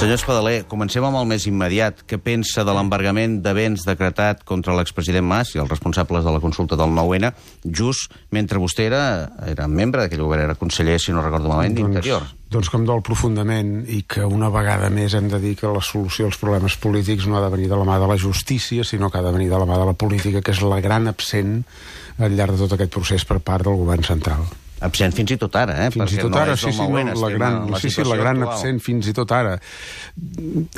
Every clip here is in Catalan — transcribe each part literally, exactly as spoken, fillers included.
Senyor Espadaler, comencem amb el més immediat. Què pensa de l'embargament de béns decretat contra l'expresident Mas i els responsables de la consulta del nou ene, just mentre vostè era, era membre d'aquell govern, era conseller, si no recordo malament, d'Interior? Doncs, doncs com dol profundament, i que una vegada més hem de dir que la solució als problemes polítics no ha de venir de la mà de la justícia, sinó que ha de venir de la mà de la política, que és la gran absent al llarg de tot aquest procés per part del govern central. Absent fins i tot ara, eh? Fins i tot ara, sí, sí, no, la gran, sí, sí, la gran absent fins i tot ara.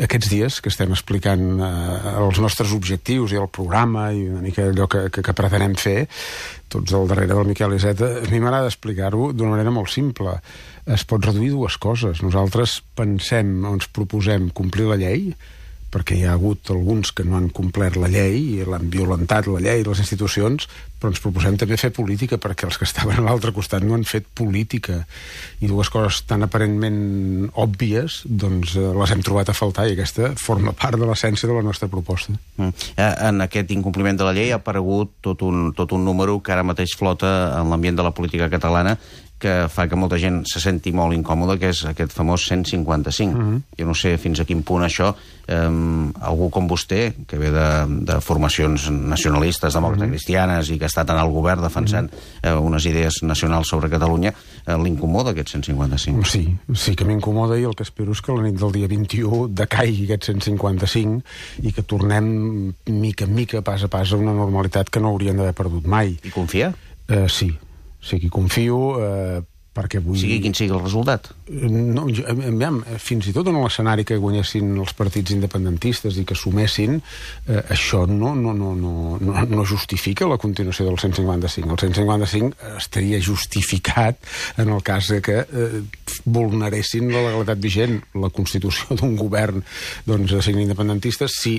Aquests dies que estem explicant eh, els nostres objectius i el programa i una mica allò que, que, que pretenem fer, tots al darrere del Miquel Iceta, a mi m'agrada explicar-ho d'una manera molt simple. Es pot reduir dues coses. Nosaltres pensem, ens proposem complir la llei, perquè hi ha hagut alguns que no han complert la llei i l'han violentat, la llei i les institucions, però ens proposem també fer política, perquè els que estaven a l'altre costat no han fet política. I dues coses tan aparentment òbvies, doncs eh, les hem trobat a faltar, i aquesta forma part de l'essència de la nostra proposta. Mm. En aquest incompliment de la llei ha aparegut tot un, tot un número que ara mateix flota en l'ambient de la política catalana, que fa que molta gent se senti molt incòmoda, que és aquest famós cent cinquanta-cinc. Uh-huh. Jo no sé fins a quin punt això, eh, algú com vostè, que ve de, de formacions nacionalistes, demòcrates, uh-huh. cristianes, i que ha estat en el govern defensant uh-huh. eh, unes idees nacionals sobre Catalunya, eh, l'incomoda aquest cent cinquanta-cinc? Sí, sí que m'incomoda, i el que espero és que la nit del dia vint-i-u decaigui aquest cent cinquanta-cinc i que tornem mica en mica, pas a pas, a una normalitat que no haurien d'haver perdut mai. I confia? Eh, sí. Sí que confio, eh, perquè vull... Sigui quin sigui el resultat? No, jo, aviam, fins i tot en l'escenari que guanyessin els partits independentistes i que sumessin, eh, això no, no, no, no, no, no justifica la continuació del cent cinquanta-cinc. El cent cinquanta-cinc estaria justificat en el cas que eh, vulneressin la legalitat vigent, la constitució d'un govern doncs, de signe independentista. Si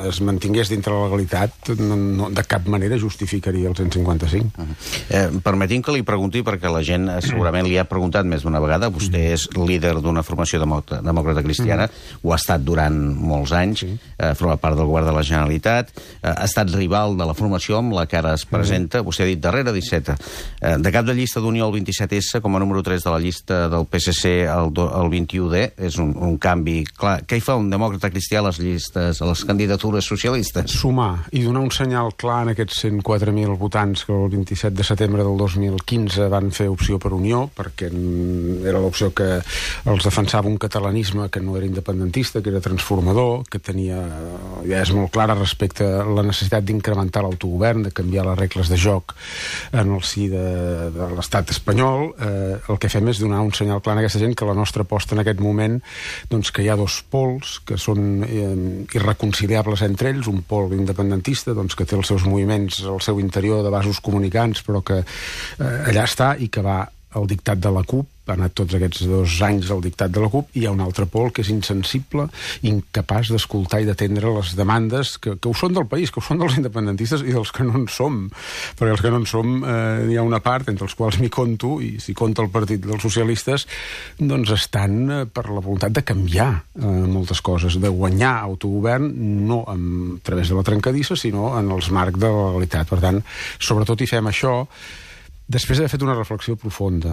es mantingués dintre la legalitat, no, no, de cap manera justificaria el cent cinquanta-cinc. Uh-huh. eh, permetim que li pregunti, perquè la gent eh, segurament li ha preguntat més d'una vegada. Vostè és líder d'una formació demòcrata cristiana, mm. ho ha estat durant molts anys, sí. eh, forma part del govern de la Generalitat, eh, ha estat rival de la formació amb la que ara es presenta, mm. vostè ha dit darrere disset, eh, de cap de llista d'Unió al vint-i-set essa, com a número tres de la llista del P S C al, al vint-i-u de, és un, un canvi clar. Què hi fa un demòcrata cristià a les llistes, a les candidatures socialistes? Sumar i donar un senyal clar en aquests cent quatre mil votants que el vint-i-set de setembre del dos mil quinze van fer opció per Unió, perquè era l'opció que els defensava un catalanisme que no era independentista, que era transformador, que tenia idees molt clares respecte a la necessitat d'incrementar l'autogovern, de canviar les regles de joc en el si de, de l'estat espanyol. Eh, el que fem és donar un senyal clar a aquesta gent que la nostra aposta en aquest moment, doncs que hi ha dos pols que són eh, irreconciliables entre ells, un pol independentista doncs, que té els seus moviments al seu interior de vasos comunicants, però que eh, allà està, i que va el dictat de la CUP, ha anat tots aquests dos anys al dictat de la CUP, i hi ha un altre pol que és insensible, incapaç d'escoltar i d'atendre les demandes que, que ho són del país, que ho són dels independentistes i dels que no en som, perquè els que no en som eh, hi ha una part entre els quals m'hi conto, i si compta el partit dels socialistes, doncs estan eh, per la voluntat de canviar eh, moltes coses, de guanyar autogovern, no a través de la trencadissa, sinó en els marcs de la legalitat. Per tant, sobretot hi fem això després d'haver fet una reflexió profunda.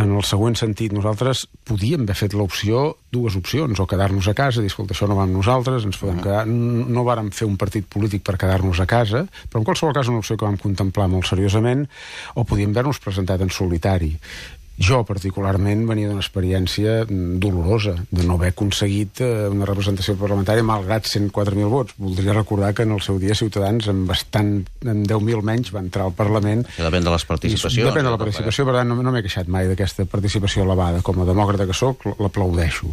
En el següent sentit, nosaltres podíem haver fet l'opció, dues opcions, o quedar-nos a casa, dir, escolta, això no va amb nosaltres, ens podem quedar... No vàrem fer un partit polític per quedar-nos a casa, però en qualsevol cas una opció que vam contemplar molt seriosament, o podíem haver-nos presentat en solitari. Jo, particularment, venia d'una experiència dolorosa, de no haver aconseguit una representació parlamentària malgrat cent quatre mil vots. Voldria recordar que en el seu dia Ciutadans, amb bastant, amb deu mil menys, va entrar al Parlament. Depèn de les participacions. Depèn de la participació, per tant, no, no m'he queixat mai d'aquesta participació elevada. Com a demòcrata que sóc, l'aplaudeixo.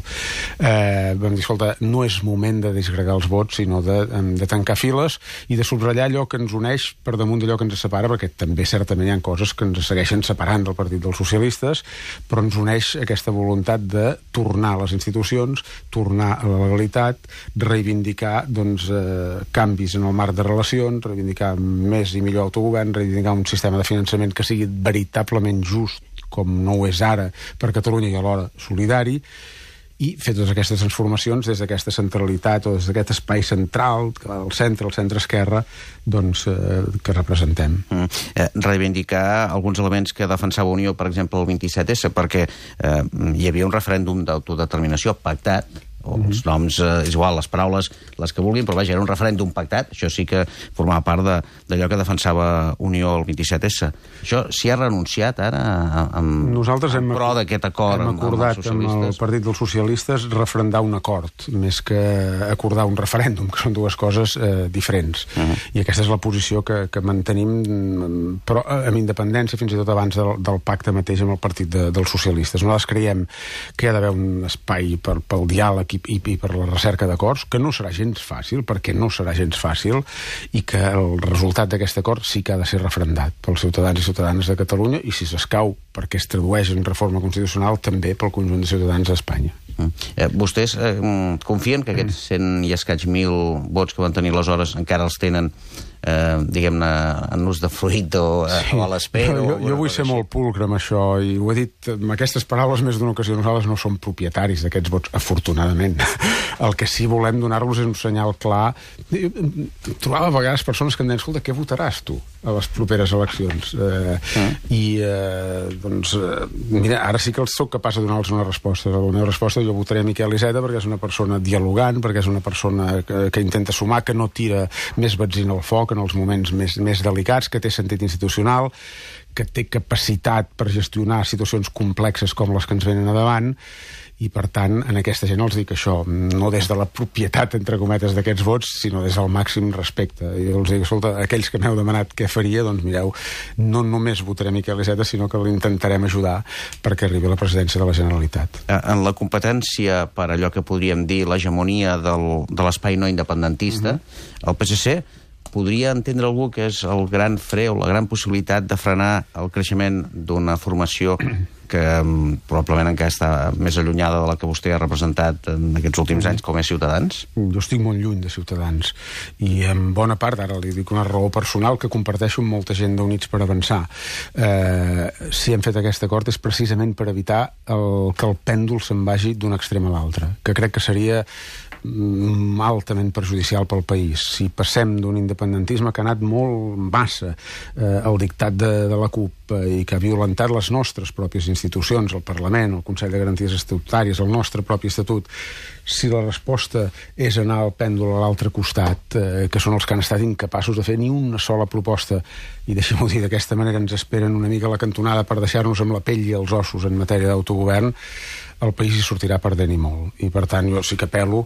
Eh, vam dir, escolta, no és moment de disgregar els vots, sinó de, de tancar files i de subratllar allò que ens uneix per damunt d'allò que ens separa, perquè també certament hi ha coses que ens segueixen separant del Partit dels Socialistes, però ens uneix aquesta voluntat de tornar a les institucions, tornar a la legalitat, reivindicar doncs, eh, canvis en el marc de relacions, reivindicar més i millor autogovern, reivindicar un sistema de finançament que sigui veritablement just, com no ho és ara, per Catalunya, i alhora solidari, i fer totes aquestes transformacions des d'aquesta centralitat o des d'aquest espai central, que va del centre, al centre-esquerra, doncs, eh, que representem. Mm. Eh, reivindicar alguns elements que defensava Unió, per exemple, el vint-i-set essa, perquè eh, hi havia un referèndum d'autodeterminació pactat o els noms, eh, és igual, les paraules, les que vulguin, però vaja, era un referèndum pactat, això sí que formava part d'allò que defensava Unió el vint-i-set essa. Això s'hi ha renunciat ara amb, Nosaltres hem, en pro d'aquest acord hem amb, acordat amb els socialistes? amb el Partit dels Socialistes referendar un acord, més que acordar un referèndum, que són dues coses eh, diferents. Uh -huh. I aquesta és la posició que, que mantenim, però amb independència, fins i tot abans del, del pacte mateix amb el Partit de, dels Socialistes. Nosaltres creiem que hi ha d'haver un espai per, pel diàleg i, i, i per la recerca d'acords, que no serà gens fàcil, perquè no serà gens fàcil, i que el resultat d'aquest acord sí que ha de ser referendat pels ciutadans i ciutadanes de Catalunya, i si s'escau perquè es tradueix en reforma constitucional, també pel conjunt de ciutadans d'Espanya. Mm. Eh, vostès eh, confien que aquests cent i escaig mil vots que van tenir aleshores encara els tenen eh, diguem-ne, en ús de fruit o, sí. o a l'espera? Jo, jo vull ser així. molt pulcre amb això, i ho he dit amb aquestes paraules més d'una ocasió. Nosaltres no som propietaris d'aquests vots, afortunadament. El que sí volem donar-los és un senyal clar. Trobava a vegades persones que em deien, escolta, què votaràs tu a les properes eleccions? Eh, mm. I, eh, doncs, eh, mira, ara sí que sóc capaç de donar-los una resposta. La meva resposta, jo votaré Miquel Iceta perquè és una persona dialogant, perquè és una persona que, que intenta sumar, que no tira més benzina al foc en els moments més, més delicats, que té sentit institucional, que té capacitat per gestionar situacions complexes com les que ens venen a davant, i per tant, en aquesta gent els dic això, no des de la propietat, entre cometes, d'aquests vots, sinó des del màxim respecte. I els dic, escolta, aquells que m'heu demanat què faria, doncs mireu, no només votaré Miquel Iceta, sinó que l'intentarem ajudar perquè arribi a la presidència de la Generalitat. En la competència per allò que podríem dir l'hegemonia del, de l'espai no independentista, uh-huh. el P S C podria entendre algú que és el gran fre o la gran possibilitat de frenar el creixement d'una formació que um, probablement encara està més allunyada de la que vostè ha representat en aquests últims anys com és Ciutadans? Jo estic molt lluny de Ciutadans, i en bona part, ara li dic una raó personal que comparteixo amb molta gent d'Units per Avançar. Eh, si hem fet aquest acord és precisament per evitar el, que el pèndol se'n vagi d'un extrem a l'altre, que crec que seria altament perjudicial pel país. Si passem d'un independentisme que ha anat molt massa eh, al dictat de, de la CUP eh, i que ha violentat les nostres pròpies institucions, el Parlament, el Consell de Garanties Estatutàries, el nostre propi estatut, si la resposta és anar al pèndol a l'altre costat, eh, que són els que han estat incapaços de fer ni una sola proposta, i deixem-ho dir d'aquesta manera, ens esperen una mica a la cantonada per deixar-nos amb la pell i els ossos en matèria d'autogovern, el país hi sortirà perdent i molt. I per tant jo sí que apel·lo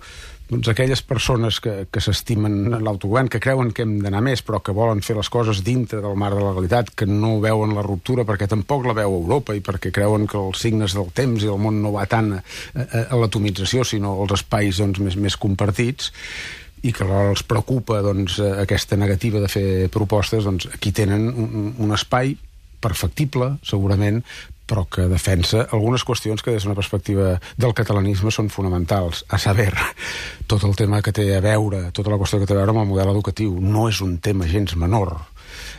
doncs, aquelles persones que, que s'estimen l'autogovern, que creuen que hem d'anar més, però que volen fer les coses dintre del marc de la legalitat, que no veuen la ruptura perquè tampoc la veu Europa i perquè creuen que els signes del temps i el món no va tant a, a, a l'atomització, sinó als espais doncs, més, més compartits, i que alhora els preocupa doncs, aquesta negativa de fer propostes, doncs aquí tenen un, un espai perfectible, segurament, però que defensa algunes qüestions que des d'una perspectiva del catalanisme són fonamentals. A saber, tot el tema que té a veure, tota la qüestió que té a veure amb el model educatiu. No és un tema gens menor.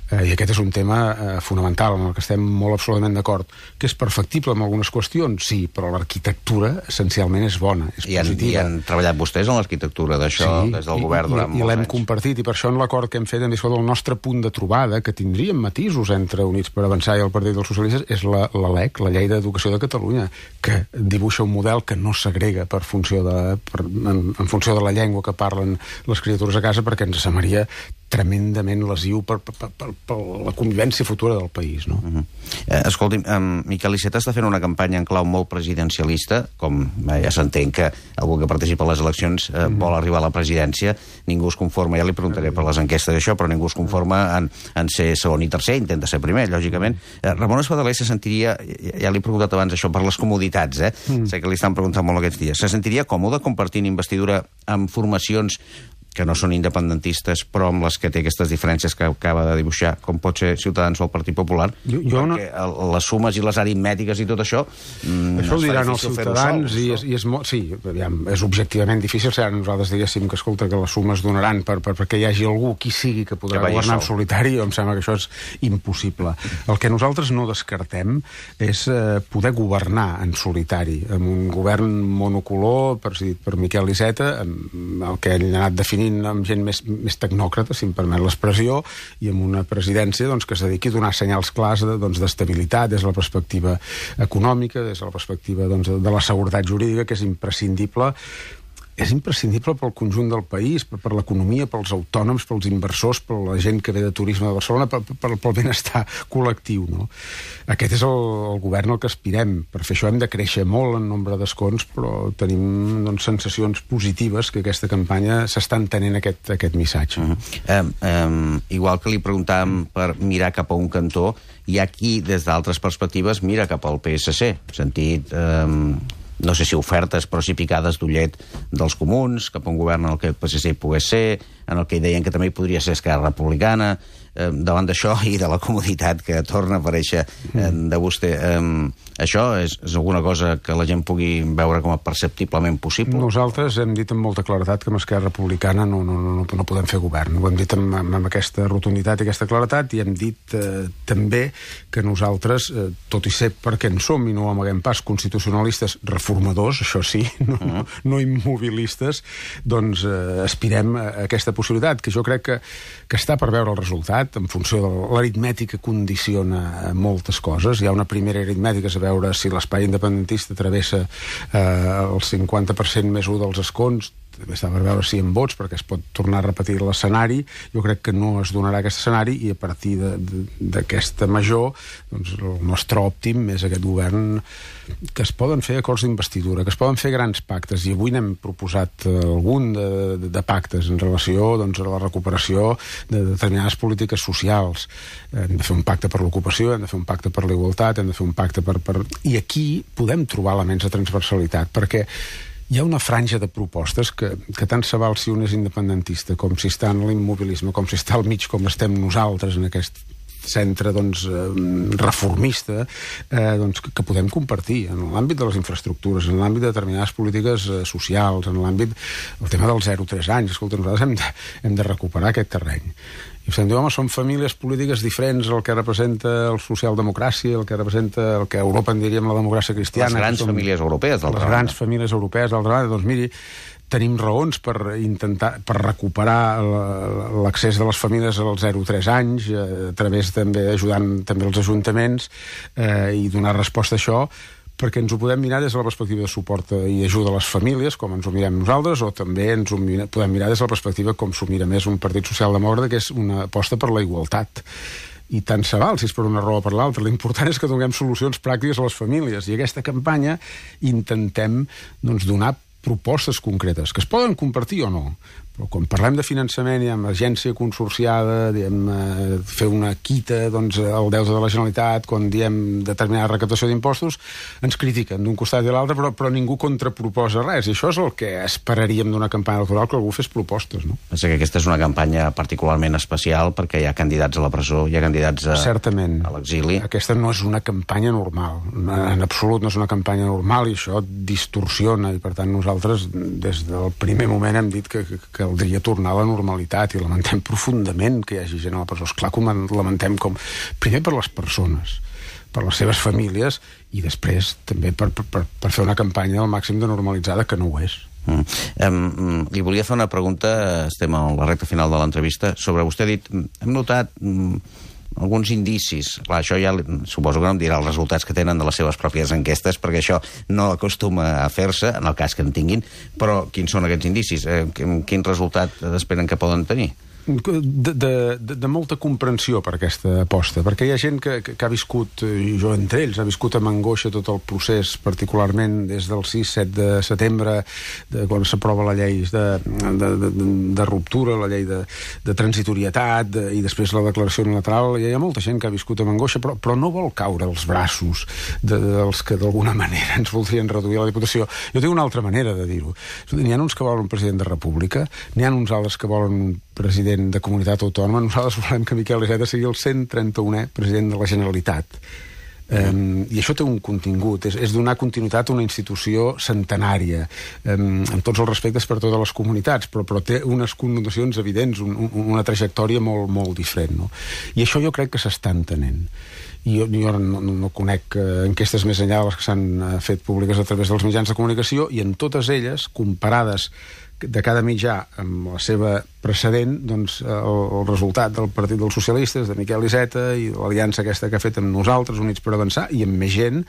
Eh, I aquest és un tema eh, fonamental, amb el que estem molt absolutament d'acord. Que és perfectible en algunes qüestions, sí, però l'arquitectura essencialment és bona, és I han, positiva. I han treballat vostès en l'arquitectura d'això, sí, des del govern durant i, molts i l'hem anys. compartit, i per això en l'acord que hem fet hem dit, el nostre punt de trobada, que tindríem matisos entre Units per Avançar i el Partit dels Socialistes, és la, la L E C, la Llei d'Educació de Catalunya, que dibuixa un model que no segrega per funció de, per, en, en funció de la llengua que parlen les criatures a casa, perquè ens semblaria tremendament lesiu per, per, per, per la convivència futura del país, no? Uh -huh. eh, escolti'm, eh, Miquel Iceta està fent una campanya en clau molt presidencialista, com eh, ja s'entén que algú que participa a les eleccions eh, uh -huh. vol arribar a la presidència, ningú es conforma, ja li preguntaré per les enquestes d'això, però ningú es conforma en, en ser segon i tercer, intenta ser primer, lògicament. Eh, Ramon Espadaler se sentiria, ja l'he preguntat abans això, per les comoditats, eh? Uh -huh. Sé que li estan preguntant molt aquests dies, se sentiria còmode compartint investidura amb formacions que no són independentistes, però amb les que té aquestes diferències que acaba de dibuixar, com pot ser Ciutadans o el Partit Popular, jo, jo perquè no... les sumes i les aritmètiques i tot això... Mm, això ho diran els Ciutadans, i és, i és molt... Sí, aviam, és objectivament difícil, si ara nosaltres diguéssim que, escolta, que les sumes donaran per, per, perquè hi hagi algú, qui sigui, que podrà que governar en solitari, em sembla que això és impossible. El que nosaltres no descartem és eh, poder governar en solitari, amb un govern monocolor, presidit per Miquel Iceta, amb el que ell ha anat definint amb gent més, més tecnòcrata, si em permet l'expressió, i amb una presidència doncs, que es dediqui a donar senyals clars d'estabilitat, doncs, des de la perspectiva econòmica, des de la perspectiva doncs, de la seguretat jurídica, que és imprescindible és imprescindible pel conjunt del país, per, per l'economia, pels autònoms, pels inversors, per la gent que ve de turisme de Barcelona, per, per, pel benestar col·lectiu, no? Aquest és el, el govern al que aspirem. Per fer això hem de créixer molt en nombre d'escons, però tenim doncs, sensacions positives que aquesta campanya s'està entenent aquest, aquest missatge. Uh-huh. um, um, igual que li preguntàvem per mirar cap a un cantó, hi ha qui, des d'altres perspectives, mira cap al P S C, sentit... Um... no sé si ofertes, però sí picades d'ullet dels comuns, cap a un govern en el que el P S C hi pogués ser, en el que deien que també hi podria ser Esquerra Republicana, eh, davant d'això i de la comoditat que torna a aparèixer eh, de vostè. Eh, això és, és alguna cosa que la gent pugui veure com a perceptiblement possible? Nosaltres hem dit amb molta claredat que amb Esquerra Republicana no, no, no, no podem fer govern. Ho hem dit amb, amb aquesta rotunditat i aquesta claretat, i hem dit eh, també que nosaltres, eh, tot i ser perquè en som i no ho amaguem pas, constitucionalistes reformadors, això sí, no, no, no immobilistes, doncs eh, aspirem a aquesta possibilitat, que jo crec que, que està per veure el resultat, en funció de l'aritmètica condiciona moltes coses. Hi ha una primera aritmètica, és a veure si l'espai independentista travessa eh, el cinquanta per cent més un dels escons, també està per veure si en vots, perquè es pot tornar a repetir l'escenari. Jo crec que no es donarà aquest escenari, i a partir d'aquesta major, doncs el nostre òptim és aquest govern, que es poden fer acords d'investidura, que es poden fer grans pactes, i avui n'hem proposat algun de, de, de pactes en relació doncs, a la recuperació de determinades polítiques socials. Hem de fer un pacte per l'ocupació, hem de fer un pacte per la igualtat, hem de fer un pacte per... per... I aquí podem trobar elements de transversalitat, perquè hi ha una franja de propostes que, que tant se val si un és independentista com si està en l'immobilisme, com si està al mig com estem nosaltres en aquest centre doncs, reformista, eh, doncs, que, que podem compartir en l'àmbit de les infraestructures, en l'àmbit de determinades polítiques eh, socials, en l'àmbit el tema dels zero a tres anys. Escolta, nosaltres hem de, hem de recuperar aquest terreny. I vostè em diu, home, són famílies polítiques diferents, el que representa el socialdemocràcia, el que representa el que a Europa en diríem la democràcia cristiana. Les grans famílies europees, d'altra banda. Les grans famílies europees, d'altra banda. Doncs miri, tenim raons per intentar per recuperar l'accés de les famílies als zero a tres anys, a través també ajudant també els ajuntaments eh, i donar resposta a això, perquè ens ho podem mirar des de la perspectiva de suport i ajuda a les famílies, com ens ho mirem nosaltres, o també ens ho mira, podem mirar des de la perspectiva com s'ho mira més un partit socialdemòcrata, que és una aposta per la igualtat. I tant se val, si és per una raó o per l'altra. L'important és que donem solucions pràctiques a les famílies, i aquesta campanya intentem doncs, donar propostes concretes, que es poden compartir o no, però quan parlem de finançament i amb agència consorciada, diem eh, fer una quita doncs, al deute de la Generalitat, quan diem determinada recaptació d'impostos, ens critiquen d'un costat i l'altre, però, però ningú contraproposa res, i això és el que esperaríem d'una campanya electoral, que algú fes propostes, no? Pensa que aquesta és una campanya particularment especial perquè hi ha candidats a la presó, hi ha candidats a, Certament. a l'exili. Aquesta no és una campanya normal, en absolut no és una campanya normal, i això distorsiona, i per tant nosaltres des del primer moment hem dit que, que, que caldria tornar a la normalitat, i lamentem profundament que hi hagi gent a la presó. Esclar que ho lamentem com... Primer per les persones, per les seves famílies, i després també per, per, per fer una campanya al màxim de normalitzada, que no ho és. Mm. Um, li volia fer una pregunta, estem a la recta final de l'entrevista, sobre vostè ha dit, hem notat... Um, alguns indicis. Clar, això ja suposo que no em dirà els resultats que tenen de les seves pròpies enquestes, perquè això no acostuma a fer-se, en el cas que en tinguin, però quins són aquests indicis? Eh, quin resultat esperen que poden tenir? De, de, de molta comprensió per aquesta aposta, perquè hi ha gent que, que, que ha viscut, i jo entre ells, ha viscut amb angoixa tot el procés, particularment des del sis set de setembre, de, quan s'aprova la llei de, de, de, de ruptura, la llei de, de transitorietat, de, i després la declaració unilateral. Hi ha molta gent que ha viscut amb angoixa, però, però no vol caure als braços de, dels que d'alguna manera ens voldrien reduir a la Diputació. Jo tinc una altra manera de dir-ho. N'hi ha uns que volen un president de república, n'hi ha uns altres que volen un president de comunitat autònoma. Nosaltres volem que Miquel Iceta sigui el cent trenta-unè president de la Generalitat. Um, I això té un contingut, és, és donar continuïtat a una institució centenària, um, amb tots els respectes per totes les comunitats, però, però té unes connotacions evidents, un, un, una trajectòria molt, molt diferent, no? I això jo crec que s'està entenent. I jo, jo no, no, no conec uh, enquestes més enllà de les que s'han uh, fet públiques a través dels mitjans de comunicació, i en totes elles, comparades de cada mitjà amb la seva precedent, doncs el, el resultat del Partit dels Socialistes, de Miquel Iceta, i l'aliança aquesta que ha fet amb nosaltres, Units per Avançar, i amb més gent,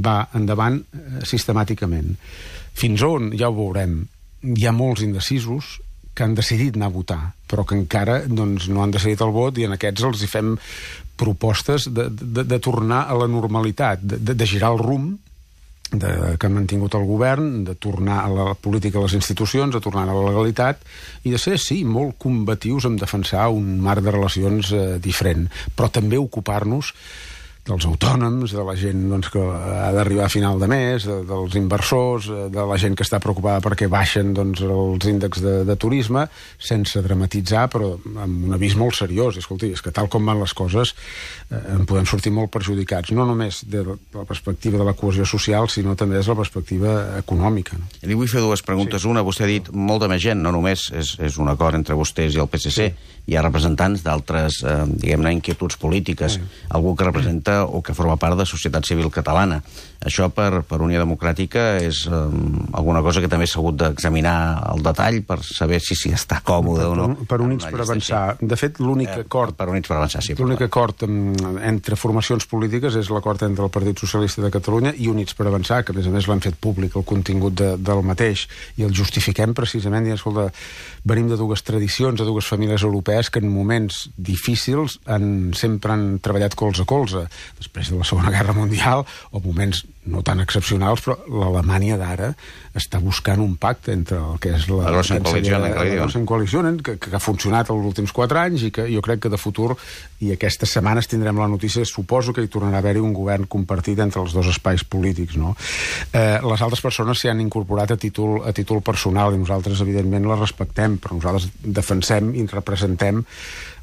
va endavant eh, sistemàticament. Fins on? Ja ho veurem. hi ha molts indecisos que han decidit anar a votar, però que encara doncs, no han decidit el vot, i en aquests els hi fem propostes de, de, de tornar a la normalitat, de, de, de girar el rumb de, que han mantingut el govern, de tornar a la política, a les institucions, de tornar a la legalitat, i de ser, sí, molt combatius en defensar un marc de relacions eh, diferent, però també ocupar-nos dels autònoms, de la gent doncs, que ha d'arribar a final de mes, de, dels inversors, de la gent que està preocupada perquè baixen doncs, els índexs de, de turisme, sense dramatitzar, però amb un avís molt seriós. Escolti, és que tal com van les coses eh, en podem sortir molt perjudicats, no només de la perspectiva de la cohesió social, sinó també des de la perspectiva econòmica. No? Li vull fer dues preguntes. Sí. Una, vostè ha dit molta més gent, no només és, és un acord entre vostès i el P S C, sí. Hi ha representants d'altres, eh, diguem-ne, inquietuds polítiques, sí. Algú que representa o que forma part de societat civil catalana. Això per, per Unió Democràtica és eh, alguna cosa que també s'ha hagut d'examinar al detall per saber si s'hi està còmode per, o no. Per, per Units per Avançar. Així. De fet, l'únic eh, acord... Per Units per Avançar, sí. L'únic acord entre formacions polítiques és l'acord entre el Partit Socialista de Catalunya i Units per Avançar, que a més a més l'han fet públic el contingut de, del mateix, i el justifiquem precisament dient, escolta, venim de dues tradicions, de dues famílies europees que en moments difícils han, sempre han treballat colze a colze. Després de la Segona Guerra Mundial, o moments no tan excepcionals, però l'Alemanya d'ara està buscant un pacte entre el que és la... La grossa coalició, la grossa coalició, que, que ha funcionat els últims quatre anys i que jo crec que de futur, i aquestes setmanes tindrem la notícia, suposo que hi tornarà a haver-hi un govern compartit entre els dos espais polítics, no? Eh, les altres persones s'hi han incorporat a títol, a títol personal, i nosaltres, evidentment, les respectem, però nosaltres defensem i representem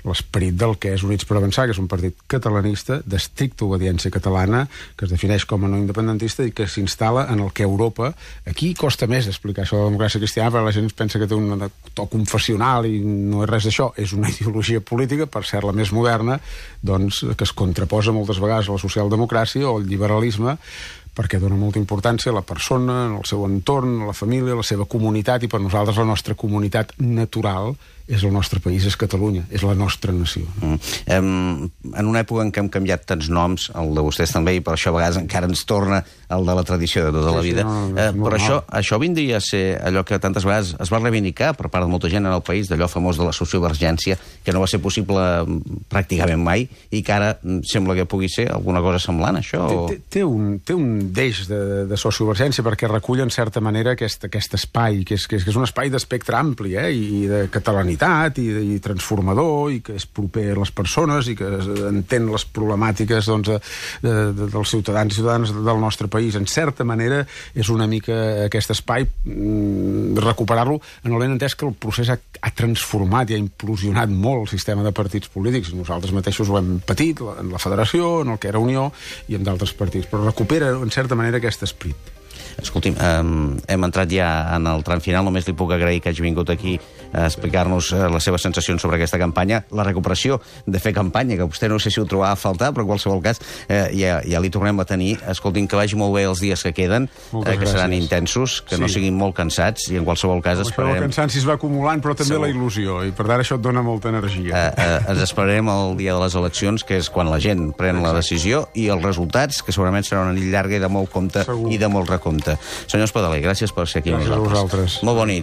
l'esperit del que és Units per Avançar, que és un partit catalanista d'estricta obediència catalana, que es defineix com a no independentista i que s'instal·la en el que Europa... Aquí costa més explicar això de la democràcia cristiana, perquè la gent pensa que té un to confessional i no és res d'això. És una ideologia política, per ser la més moderna, doncs, que es contraposa moltes vegades a la socialdemocràcia o al liberalisme, perquè dona molta importància a la persona, al seu entorn, a la família, a la seva comunitat, i per nosaltres la nostra comunitat natural és el nostre país, és Catalunya, és la nostra nació. Mm. Um, en una època en què hem canviat tants noms, el de vostès també, i per això a vegades encara ens torna el de la tradició de tota la vida, sí, sí, no, uh, però això, això vindria a ser allò que tantes vegades es va reivindicar per part de molta gent en el país, d'allò famós de la sociovergència, que no va ser possible pràcticament mai, i que ara sembla que pugui ser alguna cosa semblant, això? O... Té, té, un, té un deix de, de sociovergència, perquè recull en certa manera aquest, aquest espai, que és, que és, que és un espai d'espectre ampli, eh, i de catalanitat, I, i transformador, i que és proper a les persones i que entén les problemàtiques doncs, de, de, de, dels ciutadans i ciutadanes del nostre país. En certa manera és una mica aquest espai, mmm, recuperar-lo en el ben entès que el procés ha, ha transformat i ha implosionat molt el sistema de partits polítics. Nosaltres mateixos ho hem patit en la federació, en el que era Unió i en d'altres partits, però recupera en certa manera aquest esperit. Escolti'm, um, hem entrat ja en el tram final, només li puc agrair que hagi vingut aquí a explicar-nos uh, les seves sensacions sobre aquesta campanya, la recuperació de fer campanya, que vostè no sé si ho trobava a faltar, però en qualsevol cas uh, ja, ja li tornem a tenir. Escolti'm, que vagi molt bé els dies que queden, uh, que gràcies. Seran intensos, que sí. No siguin molt cansats, i en qualsevol cas no, esperarem... El cansanci es va acumulant, però també Segur. La il·lusió, i per tant això et dona molta energia. Uh, uh, ens esperarem el dia de les eleccions, que és quan la gent pren la decisió, i els resultats, que segurament serà una nit llarga i de molt compte Segur. I de molt recompte. Senyor Espadaler, gràcies per ser aquí gràcies amb nosaltres. A vosaltres. Molt bona nit.